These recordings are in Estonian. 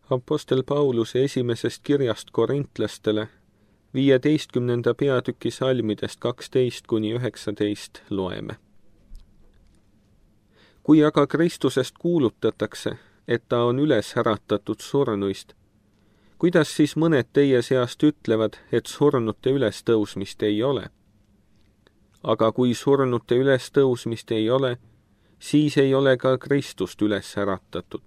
Apostel Pauluse esimesest kirjast korintlastele 15. peatüki salmidest 12–19 loeme. Kui aga Kristusest kuulutatakse, et ta on üles äratatud surnuist, kuidas siis mõned teie seast ütlevad, et surnute ülestõusmist ei ole? Aga kui surnute ülestõusmist ei ole, siis ei ole ka Kristust üles äratatud.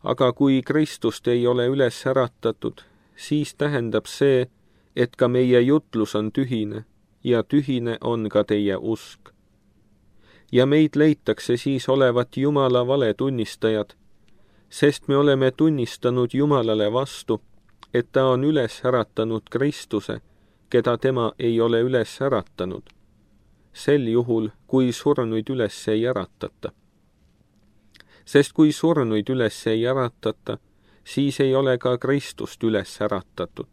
Aga kui Kristust ei ole üles äratatud, siis tähendab see, et ka meie jutlus on tühine ja tühine on ka teie usk. Ja meid leitakse siis olevat Jumala valetunnistajad, sest me oleme tunnistanud Jumalale vastu, et ta on üles äratanud Kristuse, keda tema ei ole üles äratanud, sel juhul, kui surnuid üles ei äratata. Sest kui surnuid üles ei äratata, siis ei ole ka Kristust üles äratatud.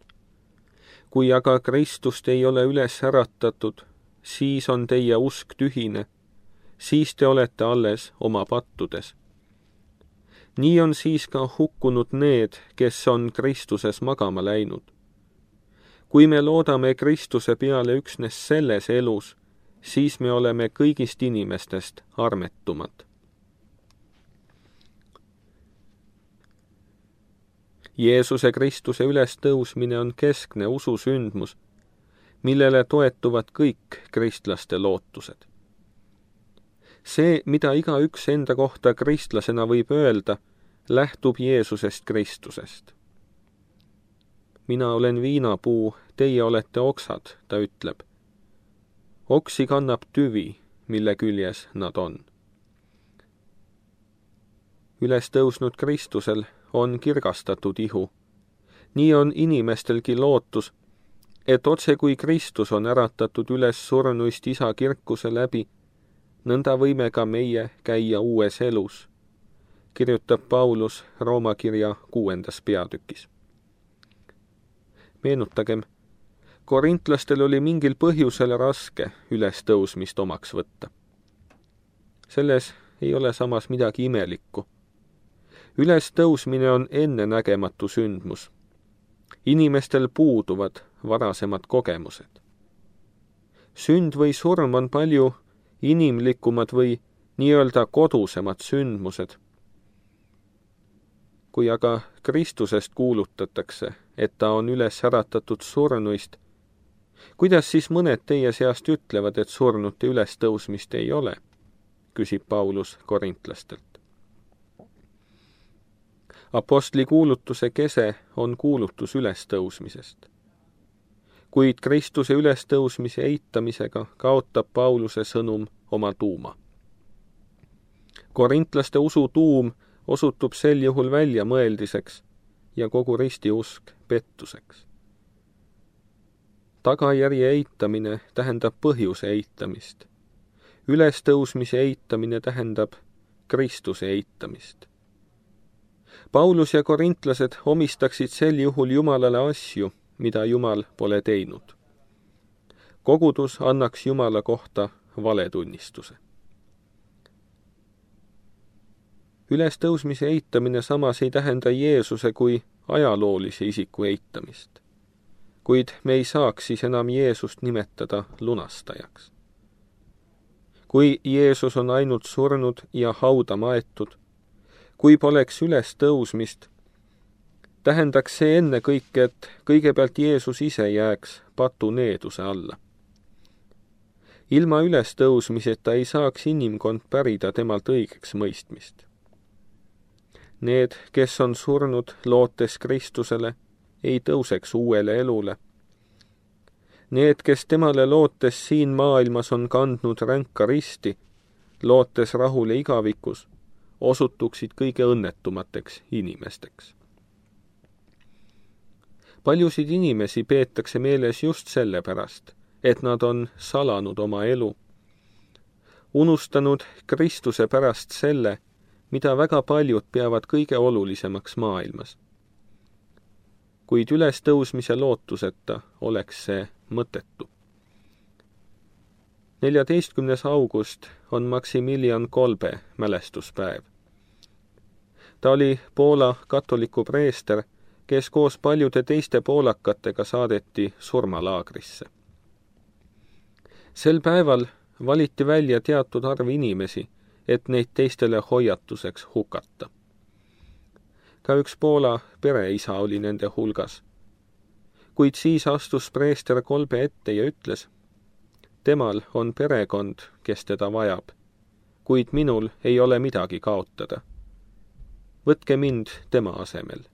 Kui aga Kristust ei ole üles äratatud, siis on teie usk tühine, siis te olete alles oma pattudes. Nii on siis ka hukkunud need, kes on Kristuses magama läinud. Kui me loodame Kristuse peale üksnes selles elus, siis me oleme kõigist inimestest armetumad. Jeesuse Kristuse ülestõusmine on keskne ususündmus, millele toetuvad kõik kristlaste lootused. See, mida igaüks enda kohta kristlasena võib öelda, lähtub Jeesusest Kristusest. Mina olen viinapuu, teie olete oksad, ta ütleb. Oksi kannab tüvi, mille küljes nad on. Ülestõusnud Kristusel on kirgastatud ihu. Nii on inimestelgi lootus, et otse kui Kristus on äratatud üles surnuist isa kirkuse läbi, nõnda võime ka meie käia uues elus, kirjutab Paulus Rooma kirja 6. peatükis. Meenutagem, korintlastel oli mingil põhjusel raske ülestõusmist omaks võtta. Selles ei ole samas midagi imelikku. Ülestõusmine on ennenägematu sündmus. Inimestel puuduvad varasemad kogemused. Sünd või surm on palju inimlikumad või nii-öelda kodusemad sündmused. Kui aga Kristusest kuulutatakse, et ta on üles äratatud surnuist, kuidas siis mõned teie seast ütlevad, et surnute ülestõusmist ei ole, küsib Paulus korintlastelt. Apostli kuulutuse kese on kuulutus ülestõusmisest. Kuid Kristuse ülestõusmise eitamisega kaotab Pauluse sõnum oma tuuma. Korintlaste usu tuum osutub sel juhul väljamõeldiseks ja kogu ristiusk pettuseks. Tagajärje eitamine tähendab põhjuse eitamist. Ülestõusmise eitamine tähendab Kristuse eitamist. Paulus ja korintlased omistaksid sel juhul Jumalale asju, mida Jumal pole teinud. Kogudus annaks Jumala kohta valetunnistuse. Ülestõusmise eitamine samas ei tähenda Jeesuse kui ajaloolise isiku eitamist, kuid me ei saaks siis enam Jeesust nimetada lunastajaks. Kui Jeesus on ainult surnud ja hauda maetud, kui poleks ülestõusmist, tähendaks see ennekõike, et kõigepealt Jeesus ise jääks patuneeduse alla. Ilma ülestõusmiseta ei saaks inimkond pärida temalt õigeks mõistmist. Need, kes on surnud lootes Kristusele, ei tõuseks uuele elule. Need, kes temale lootes siin maailmas on kandnud ränka risti, lootes rahule igavikus, osutuksid kõige õnnetumateks inimesteks. Paljusid inimesi peetakse meeles just sellepärast, et nad on salanud oma elu, unustanud Kristuse pärast selle, mida väga paljud peavad kõige olulisemaks maailmas. Kuid ülestõusmise lootuseta oleks see mõttetu. 14. august on Maximilian Kolbe mälestuspäev. Ta oli Poola katoliku preester, kes koos paljude teiste poolakatega saadeti surmalaagrisse. Sel päeval valiti välja teatud arv inimesi, et neid teistele hoiatuseks hukata. Ka üks Poola pereisa oli nende hulgas. Kuid siis astus preester Kolbe ette ja ütles: temal on perekond, kes teda vajab, kuid minul ei ole midagi kaotada. Võtke mind tema asemel.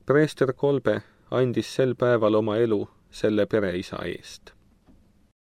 Preester Kolbe andis sel päeval oma elu selle pereisa eest.